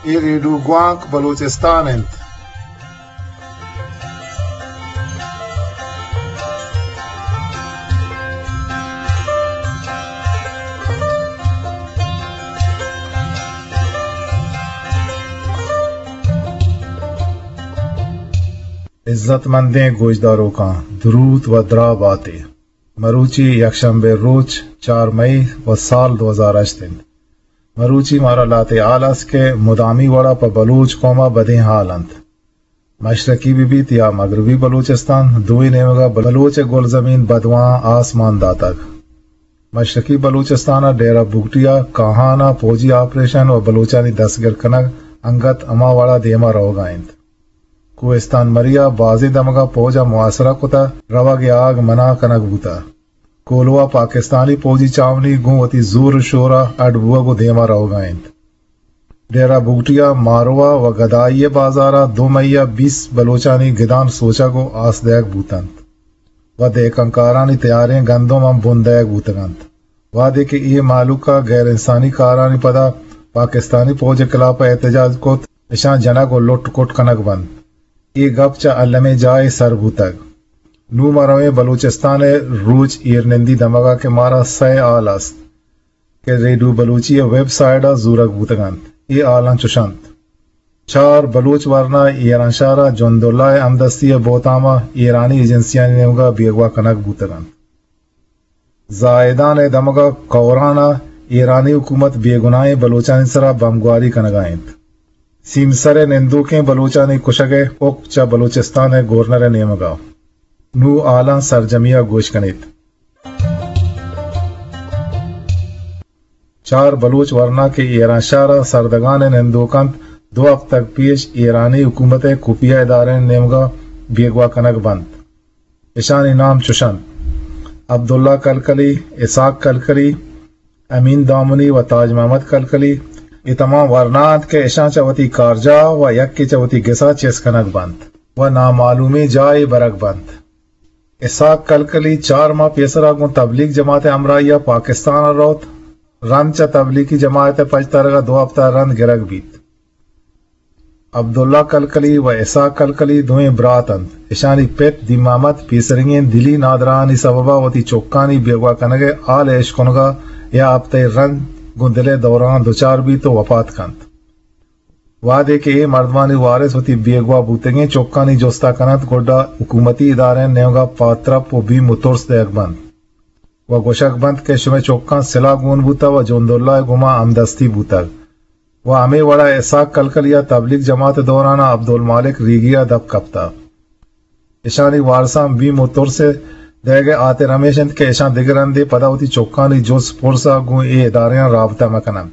اے ریڈیو گوانک بلوچستان انت۔ عزت مندیں گوشداروکاں، دروت و دراہ باتے۔ مروچی یکشنبے روچ، چار مئی و سال دو ہزار ہشت انت۔ مروچی مارا لہتے ہال است کہ مدامی وڑا پہ بلوچ قوما بدیں ہال انت۔ مشرقی بہ بیت یا مغربی بلوچستان، دوئیں نیمگا بلوچ گلزمین بدواہاں آس مان داتگ۔ مشرقی بلوچستان ء ڈیرہ بگٹی ء کاہان ء پوجی آپریشن و بلوچانی دستگر کنگ انگت ہما وڑا دیما روگا انت۔ کوہستان مری ء بازیں دمگاں پوج ء محاصرہ کتہ، روگ ء آگ منع کنگ بوتہ۔ کولواہ پاکستانی پوجی چاونی گوں وتی زور و شور ء اڈ بوگ و دیما روگا انت۔ ڈیرہ بگٹی ء ماروا و گدائی ء بازار ء دو مئی ء بیست بلوچانی گدان سوچگ و آس دئیگ بوت انت و دہکانکارانی تیاریں گندم ہم بن دئیگ بوتگ انت۔ وہدے کہ اے مہلوک ء غیر انسانی کارانی پدا پاکستانی پوج ء خلاف ء احتجاج کت، اشاں جنگ و لٹ کٹ کنگ بنت۔ اے گپ چہ المیں جاہے سر بوتگ۔ نوں ما رویں بلوچستان ء روچ ایرنندی دمگ ء کہ مارا سئے ہال است کہ ریڈیو بلوچی ء ویب سائٹ ء زورگ بوتگ انت۔ اے ہالاں چش انت: چار بلوچ ورنا ایرانشہر ء جنداللہ ء ہمدستی ء بہتام ء ایرانی ایجنسیانی نیمگ ء بیگواہ کنگ بوتگ انت۔ زاہدان ء دمگ ء کوران ء ایرانی حکومت بے گناہیں بلوچانی سرا بمبگواری کنگ ء انت۔ سیمسر ء نندوکیں بلوچانی کشگ ء حکم چہ بلوچستان ء گورنر ء نیمگ ء۔ نوں ہالاں سرجمی ء گوش کن ایت۔ چار بلوچ ورنا کہ ایرانشہر ء سردگان ء نندوک انت، دو ہفتگ پیش ایرانی حکومت ء خفیہ ادارہانی نیمگ ء بیگواہ کنگ بنت۔ اشانی نام چش انت: عبداللہ کلکلی، اسحاق کلکلی، امین دامنی و تاج محمد کلکلی۔ اے تمام ورنا انت کہ اشاں چہ وتی کارجاہ و یکے چہ وتی گسا چست کنگ بنت و نامعلومیں جاہے برگ بنت۔ اسحاق کلکلی چار ماہ پیسرا گوں تبلیغ جماعت ء ہمراہی ء پاکستان ء روت۔ رند چہ تبلیغی جماعت ء پجترگ ء دو ہفتہ رند گرگ بیت۔ عبداللہ کلکلی و اسحاق کلکلی دوئیں برات انت۔ اشانی پت دین محمد پیسریگیں دلی نادراہانی سبب ء وتی چکانی بیگواہ کنگ ء ہال ء اشکنگ ء یا ہپتہ ء رند گوں دل ء دوران دچار بیت و وپات کنت۔ وہدے کہ اے مردمانی وارث وتی بیگواہ بوتگیں چکانی جستا کننت، گڈا حکومتی ادارہانی نیمگا پادترپ و بیم و ترس دئیگ بنت و گوشگ بنت کہ شمئے چکاں سلاہ گون بوتہ و جنداللہ ء گوما ہمدستی بوتگ۔ و ہمے وڑا اسحاق کلکلی ء تبلیغ جماعت ء دوران ء عبدالمالک ریگی ء دپ کپتہ۔ اشانی وارثاں بیم و ترس ء دئیگ ء ہاتر ہمیش انت کہ اشاں دگہ رندے پدا وتی چکانی جست پرس ء گوں اے ادارہاں رابطہ مہ کننت۔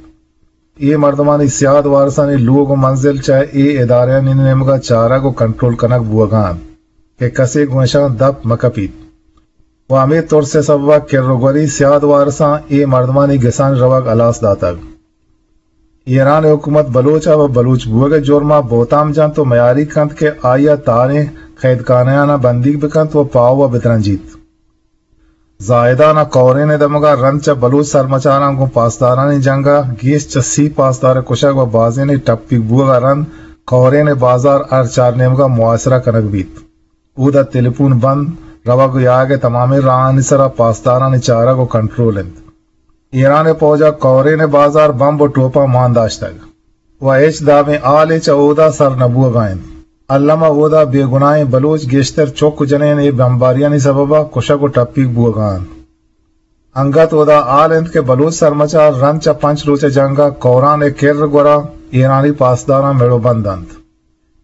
اے مردمانی سیاد وارثانی لوگ و منزل چہ اے ادارہانی نیمگ ء چارگ و کنٹرول کنگ بوہگا انت کہ کسے گوں اشاں دپ مہ کپیت۔ و ہمے ترس ء سبب ء کر و گوری سیاد وارثاں اے مردمانی گسانی روگ ہلاس داتگ۔ ایران ء حکومت بلوچ ء و بلوچ بوگ ء جرم ء بہتام جنت و میاری کنت کہ آئی ء تہاریں قیدخانہاناں بندیگ بکنت و پاہو ء بدرنجیت۔ زاہدان ء کورین ء دمگ ء رند چہ بلوچ سرمچاراں گوں پاسدارانی جنگ ء گیش چہ سی پاسدار ء کشگ و بازینے ٹپیگ بوگ ء رند کورین ء بازار ہر چار نیمگ ء محاصرہ کنگ بیت۔ اودا تلپون بند، روگ و یاگ ء تمامیں راہانی سرا پاسدارانی چارگ و کنٹرول انت۔ ایران ء پوج ء کورین ء بازار بمب و ٹوپاں مان داشتگ و ہچ دابیں ہالے چہ اودا سر نہ بوہگا انت۔ الم ء اودا بے گناہیں بلوچ گیشتر چک و جنین اے بمباریانی سبب ء کشگ و ٹپیگ بوہگا انت۔ انگت اودا ہال انت کہ بلوچ سرمچار رند چہ پنچ روچ ء جنگ ء کوران ء کر گورا ایرانی پاسداراں مڑ و بند انت۔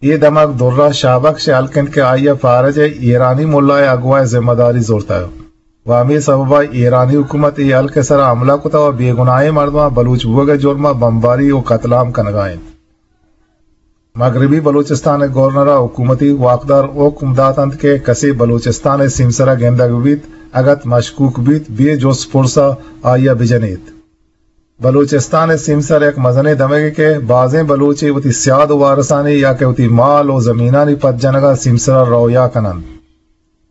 اے دمگ درا شاہ بخش ء ہلک انت کہ آئی ء فارج ء ایرانی ملا ء اگواہ ء ذمہ داری زرتگ و ہمے سبب ء ایرانی حکومت اے ہلک ء سرا حملہ کتگ و بے گناہیں مردماں بلوچ بوگ ء جرم ء بمباری و قتل عام کنگا انت۔ مغربی بلوچستان ء گورنر ء حکومتی واکدار حکم دات انت کہ کسے بلوچستان ء سیمسر ء گندگ بیت، اگت مشکوک بیت، بے جست پرس ء آئی ء بجنیت۔ بلوچستان ء سیمسر یک مزنیں دمگے کہ بازیں بلوچے وتی سیاد و وارثانی یا کہ وتی مال و زمینانی پد جنگ ء سیمسر ء رویا کن انت۔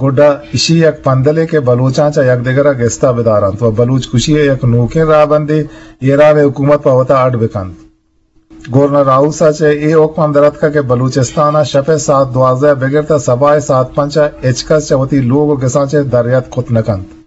گڈا اشی یک پندلے کہ بلوچاں چہ یکدگر ء گستا بدار انت و بلوچ کشی ء یک نوکیں راہبندے ایران ء حکومت پہ وتا اڈ بکنت۔ گورنر ہاؤس ءَ چہ اے حکم ہم در اتکگ کہ بلوچستان ءَ شپ ءِ ساعت دوازدہ ءَ بگر تاں سباہ ءِ ساعت پنچ ءَ ہچ کس چہ وتی لوگ ءُ گساں چہ در یات کت نہ کنت۔